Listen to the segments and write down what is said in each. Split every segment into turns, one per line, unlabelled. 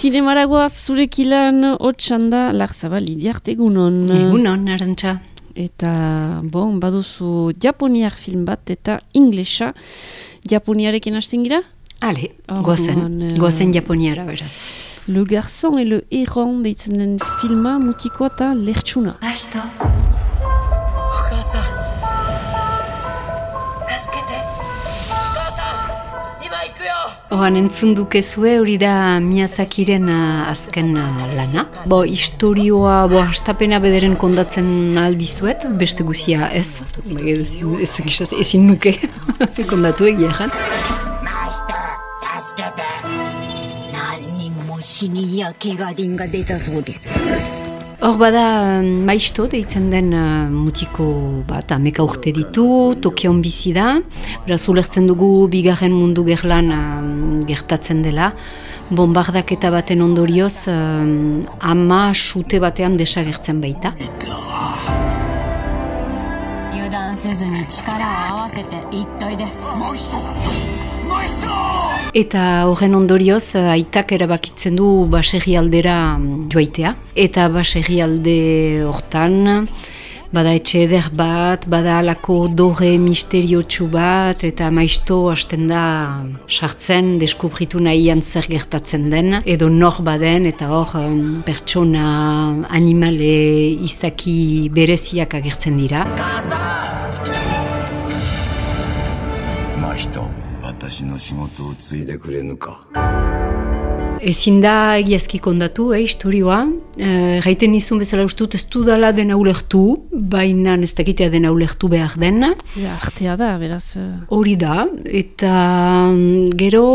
Zinemaragoaz zurekilan hotxanda Larzabal Lidiart egunon.
Egunon, Arantxa.
Eta, baduzu japoniar film bat eta inglesa. Japoniarekin hasten gira?
Ale, goazen japoniara beraz.
Le Garçon et le Héron deitzen den filma mutikoa eta lertsuna.
Alto. Oan entzun dukezue hori da Miyazakiren azken lana. Historioa, hastapena bederen kondatzen aldizuet, beste guzia ez. Ezin nuke kondatu egia jan. Hor bada Maisto deitzen den mutiko bat, ameka urte ditu, Tokion bizi da. Beraz ulertzen dugu bigarren mundu gerlan gertatzen dela. Bombardaketa baten ondorioz ama sute batean desagertzen baita. Eta horren ondorioz aitak erabakitzen du baserrialdera joaitea. Eta baserrialde hortan bada etxe eder bat, bada alako dore misteriotsu bat, eta Maisto hasten da sartzen, deskubritu nahian zer gertatzen den, edo nor baden, eta hor pertsona, animale, izaki bereziak agertzen dira.
Maisto.
Ezin da egiazki kondatu, historioa. Gaiten nizun bezala ustut ez dudala dena ulertu, baina ez dakitea dena ulertu behar den.
Artea da, beraz.
Hori da, eta gero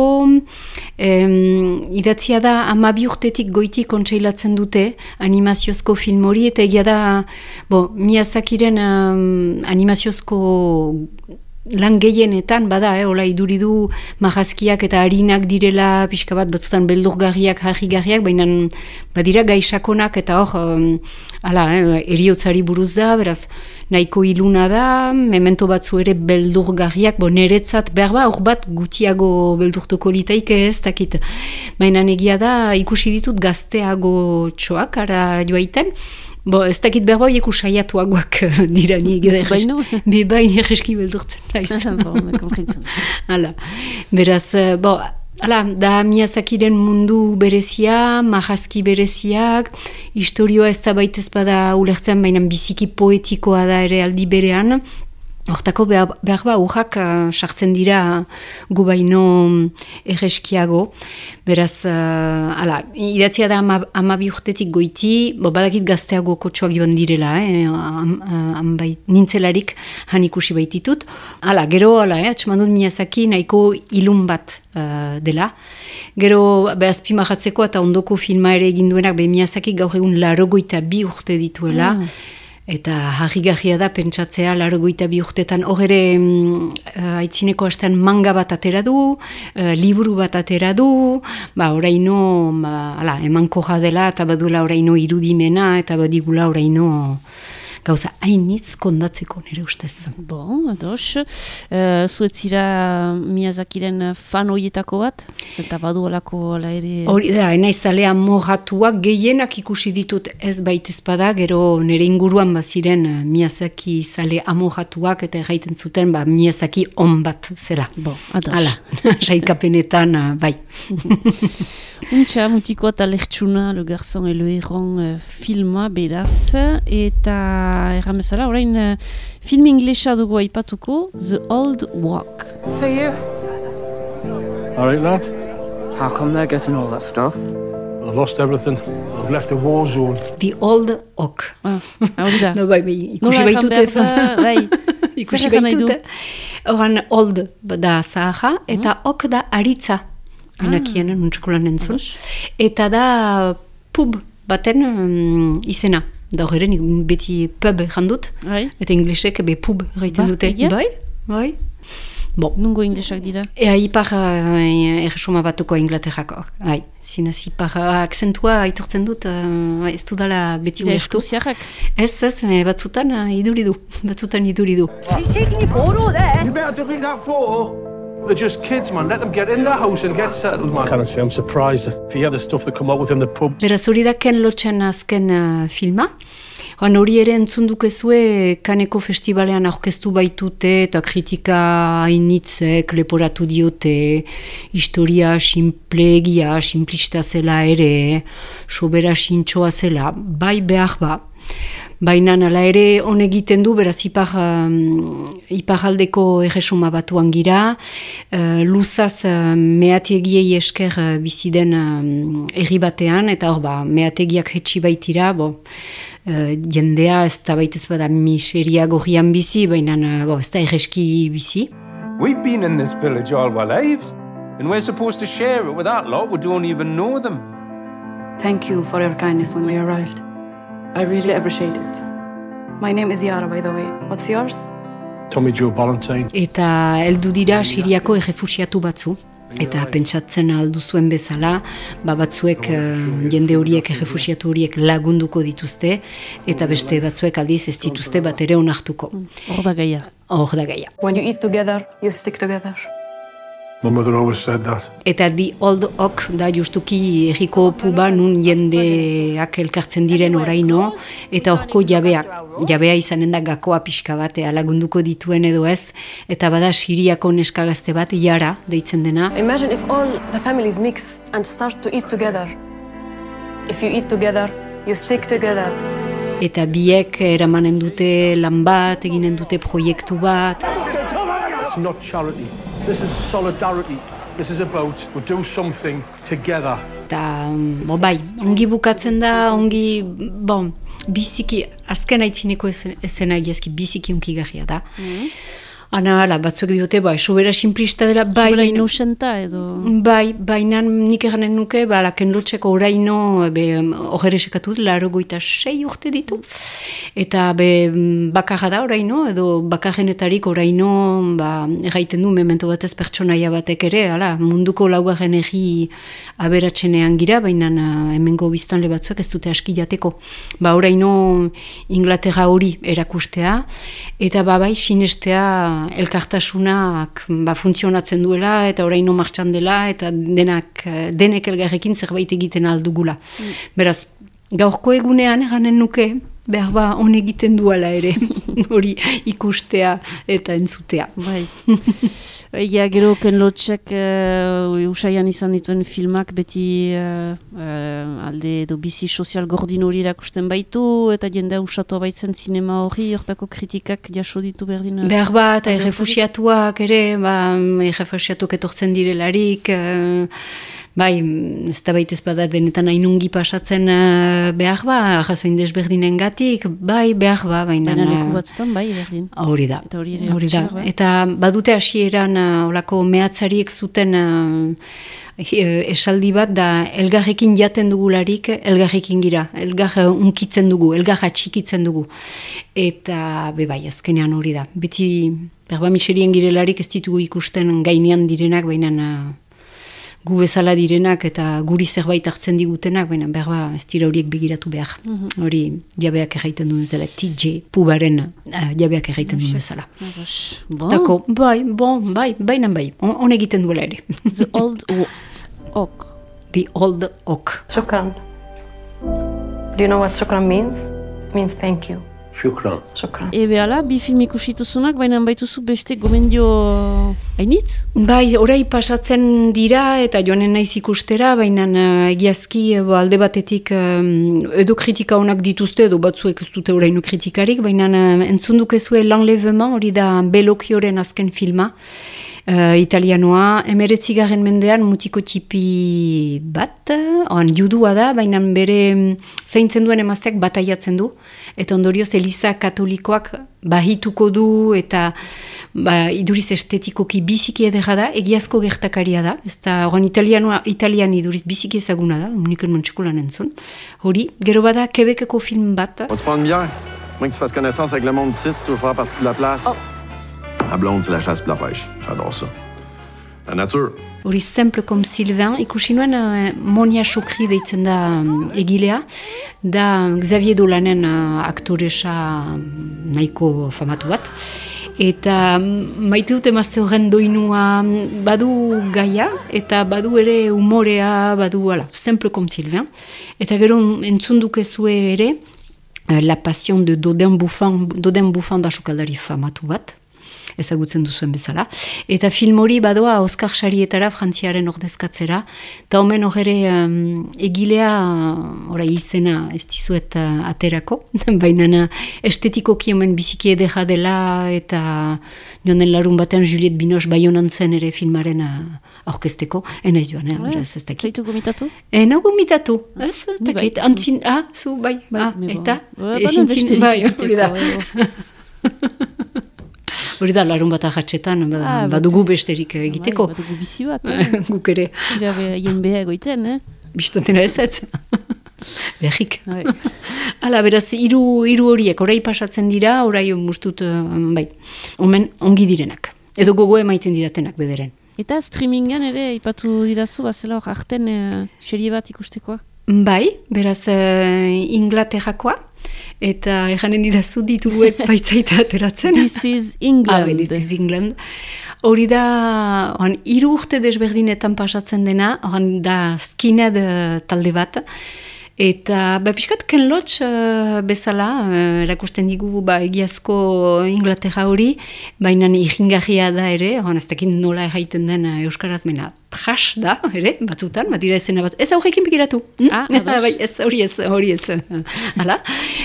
idatzia da 12 urtetik goiti kontseilatzen dute animaziozko film hori, eta egia da Miyazakiren animaziozko lan gehienetan, bada, hola iduridu marrazkiak eta harinak direla pixka bat batzutan beldurgarriak, harrigarriak, baina badira gaixakonak eta hor, eriotzari buruz da, beraz, nahiko iluna da, memento batzu ere beldurgarriak, niretzat behar hor bat gutiago beldurtuko litaike ez dakit. Baina egia da, ikusi ditut gazteago txoak, ara joaiten, ez dakit behar ikusaiatuagoak dira ni egin. Bebain erreski beldurtzen naiz. Beraz, da Miyazakiren mundu berezia, marrazki bereziak, historioa ez da baitez bada ulertzen, baina biziki poetikoa da ere aldi berean. Hortako behar urrak sartzen dira gu baino erreskiago. Beraz, idatzia da 12 urtetik goiti, badakit gazteago kotxoak joan direla, nintzelarik han ikusi baititut. Gero, atxamandut Miyazaki nahiko ilun bat dela. Gero, azpimarratzeko eta ondoko filma ere egin duenak, Miyazaki gaur egun 82 urte dituela. Eta harrigarria da pentsatzea 82 urtetan hor ere aitzineko astean manga bat atera du, liburu bat atera du, oraino emankorra dela eta baduela oraino irudimena eta badigula oraino gauza hainitz kondatzeko nire ustez.
Ados. Zuetzira Miyazakiren fan horietako bat? Zeta badu olako ere...
Hori da, naizalea mojatuak gehienak ikusi ditut ez baitezpada, gero nire inguruan baziren Miyazaki zale amojatuak eta erraiten zuten Miyazaki on bat zela.
Ados.
Hala, saikapenetan, bai.
Untxa, mutiko eta lertsuna, Le Garçon et le Héron filma beraz, eta erran bezala, orain film inglesa dugu aipatuko, The Old Walk.
For you.
All right, lad.
How come they're getting all that stuff?
They've lost everything. They've left a war zone.
The Old Oak.
Hori da.
Ikusi baitute. Ikusi baitute. Horan Old da zaha, eta Ok da aritza. Anakien, nuntxekolan entzun. Eta da pub baten izena. Da horren beti pub jandut. Eta inglesek pub gaiten dute. Bai.
Nungo inglesak dira?
Ipar erresuma batuko Inglaterrako. Zinez, ipar akzentua aitortzen dut, ez dudala beti ulertu. Ez, batzutan iduridu.
He's taking you photo there. You better delete that photo. They're just kids, man. Let them get in the house and get settled, man. Can I say I'm surprised if you hear the stuff that come out within the pub.
Beraz hori da Ken Loachen azken filma. Hori ere entzundukezue Kaneko Festivalean aurkeztu baitute eta kritika hainitzek leporatu diote, historia simplegia, simplista zela ere, sobera sintxoa zela, bai behar ba. Baina ala ere egiten du, beraz iparaldeko erresuma batuan gira, luzaz meategiei esker biziden herri batean, eta hor meategiak hetxi baitira, jendea ez da baitez bada miseria gorrian bizi, baina ez da erreski bizi.
We've been in this village all our lives, and we're supposed to share it with that lot who don't even know them.
Thank you for your kindness when we arrived. I really appreciate it. My name is Yara, by the way. What's yours?
Tommy Joe Ballantyne.
Eta heldu dira Siriako errefuxiatu batzu. Eta pentsatzen aldu zuen bezala, batzuek jende horiek, errefuxiatu horiek lagunduko dituzte, eta beste batzuek aldiz ez dituzte bat ere onartuko.
Hor da gaia.
When you eat together, you stick together.
My mother always said that.
Eta The Old Oak da justuki erriko puba nun jendeak elkartzen diren oraino, eta horko jabea izanen da gakoa pixka bat, lagunduko dituen edo ez, eta bada Siriako neskagazte bat, Yara deitzen dena.
Imagine if all the families mix and start to eat together. If you eat together, you stick together.
Eta biek eramanen dute lan bat, eginen dute proiektu bat.
It's not charity. This is solidarity. This is about we do something together.
Eta, ongi bukatzen da, biziki, azken aitzineko ezena egiazki, biziki unkigarria da. Batzuek diote, sobera simplista dela,
sobera inosenta edo...
Baina nik eganen nuke, Ken Loacheko oraino, hogere sekatu, 86 urte ditu. Eta bakarra da oraino, edo bakarrenetarik oraino, erraiten du, memento batez pertsonaia batek ere, munduko laugarren egi aberatzenean gira, baina hemengo biztanle batzuek ez dute aski jateko. Oraino Inglaterra hori erakustea, eta sinestea elkartasunak funtzionatzen duela eta oraino martxan dela eta denek elgarrekin zerbait egiten aldugula. Beraz, gaurko egunean eganen nuke, behar on egiten duela ere, hori ikustea eta entzutea.
Gero Ken Loachek usaian izan dituen filmak beti alde edo bizi sozial gordin hori erakusten baitu eta jendea usatua baitzen zinema hori, hortako kritikak jaso ditu berdin.
Behar eta errefuxiatuak ere, errefuxiatuak etortzen direlarik, ez da baitez bada denetan hainungi pasatzen behar arrazoin desberdinen gatik, behar baina
leku batzutan, berdin.
Hori da. Eta badute hasieran olako mehatzariek zuten esaldi bat da elgarrekin jaten dugularik, elgarrekin gira, elgar unkitzen dugu, elgar atxikitzen dugu. Eta azkenean hori da. Beti, miserien girelarik ez ditugu ikusten gainean direnak, baina gu bezala direnak eta guri zerbait hartzen digutenak, baina ez dira horiek begiratu behar. Hori jabeak erraiten duen bezala, TJ pubaren jabeak erraiten duen bezala. Zutako, baina on egiten duela ere.
The Old Oak.
The Old Oak.
Shukran. Do you know what shukran means? It means thank you.
Shukran.
Ala, bi film ikusituzunak, baina baituzu beste gomendio hainitz?
Orai pasatzen dira eta joanen naiz ikustera, baina egiazki alde batetik edo kritika honak dituzte, edo batzuek ez dute oraino kritikarik, baina entzundukezue L'Enlèvement, hori da Bellocchioren azken filma, italianoa, 19. mendean mutiko txipi bat, judua da, baina bere zaintzen duen emazteak bataiatzen du, eta ondorioz Eliza Katolikoak bahituko du, eta iduriz estetikoki biziki edera da, egiazko gertakaria da, ez da, italian iduriz biziki ezaguna da, uniken montxekulan entzun. Hori, gero bada, Quebeceko film bat.
On te prend une bière? Moi que tu fasses connaissance avec le monde ici, tu veux faire partie de la place. Ma blonde, c'est la chasse et la pêche. J'adore ça. La nature.
Hori Simple comme Sylvain, ikusi nuen Monia Chokri deitzen da egilea, da Xavier Dolanen aktoresa nahiko famatu bat. Eta maite dute emazte horren doinua badu gaia, eta badu ere umorea, badu Simple comme Sylvain. Eta gero entzun dukezue ere, La Passion de Dodin Bouffant da sukaldari famatu bat. Ezagutzen duzuen bezala. Eta film hori badoa Oskar Sarietara frantziaren ordezkatzera. Eta omen horre egilea orai izena ez dizuet aterako. Baina estetikoki omen biziki edera dela eta joanen larun batean Juliette Binoche Baionan zen ere filmaren aurkezteko. Enaiz joan, beraz ez dakit.
Zaitu gomitatu?
Nago gomitatu. Ez, dakit. Antzin, zu, bai. Eta? Ezintzin, bai, hori da. Hori da, larun bat ahatsetan, badugu besterik egiteko.
Badugu bizi bat.
Guk ere.
Ien beha egoiten,
Bistantena ez. Behik. Hala, beraz, hiru horiek, orai pasatzen dira, orai mustut, bai, omen ongi direnak. Edo gogo emaiten didatenak bederen.
Eta streamingan ere, ipatu dirazu, bazela hor arten serie bat ikustekoa?
Bai, beraz, Inglaterrakoa. Eta erranen didazu ditugu ez baitzaita ateratzen.
This is England.
This is England. Hori da, 3 urte desberdinetan pasatzen dena, da skinhead talde bat. Eta pixkat Ken Loach bezala, erakusten digu egiazko Inglaterra hori, baina irringarria da ere, ez dakit nola erraiten den euskaraz mena, trash da, ere, batzutan, batira ezena bat, ez aurrekin pikiratu. Bai, ez, hori ez. Hala,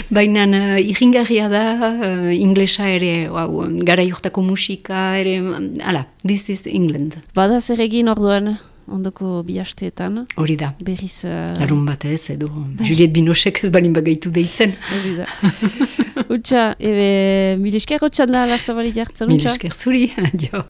baina irringarria da, inglesa ere, gara jortako musika ere, hala, This is England.
Bada zer egin orduan? Ondoko bihasteetan.
Hori da.
Berriz...
Larun batez, edo Juliette Binochek ez balin bagaitu deitzen.
Hori da. Utsa, mil esker hotxan da, Larzabali jartzen.
Mil esker zuri, adio.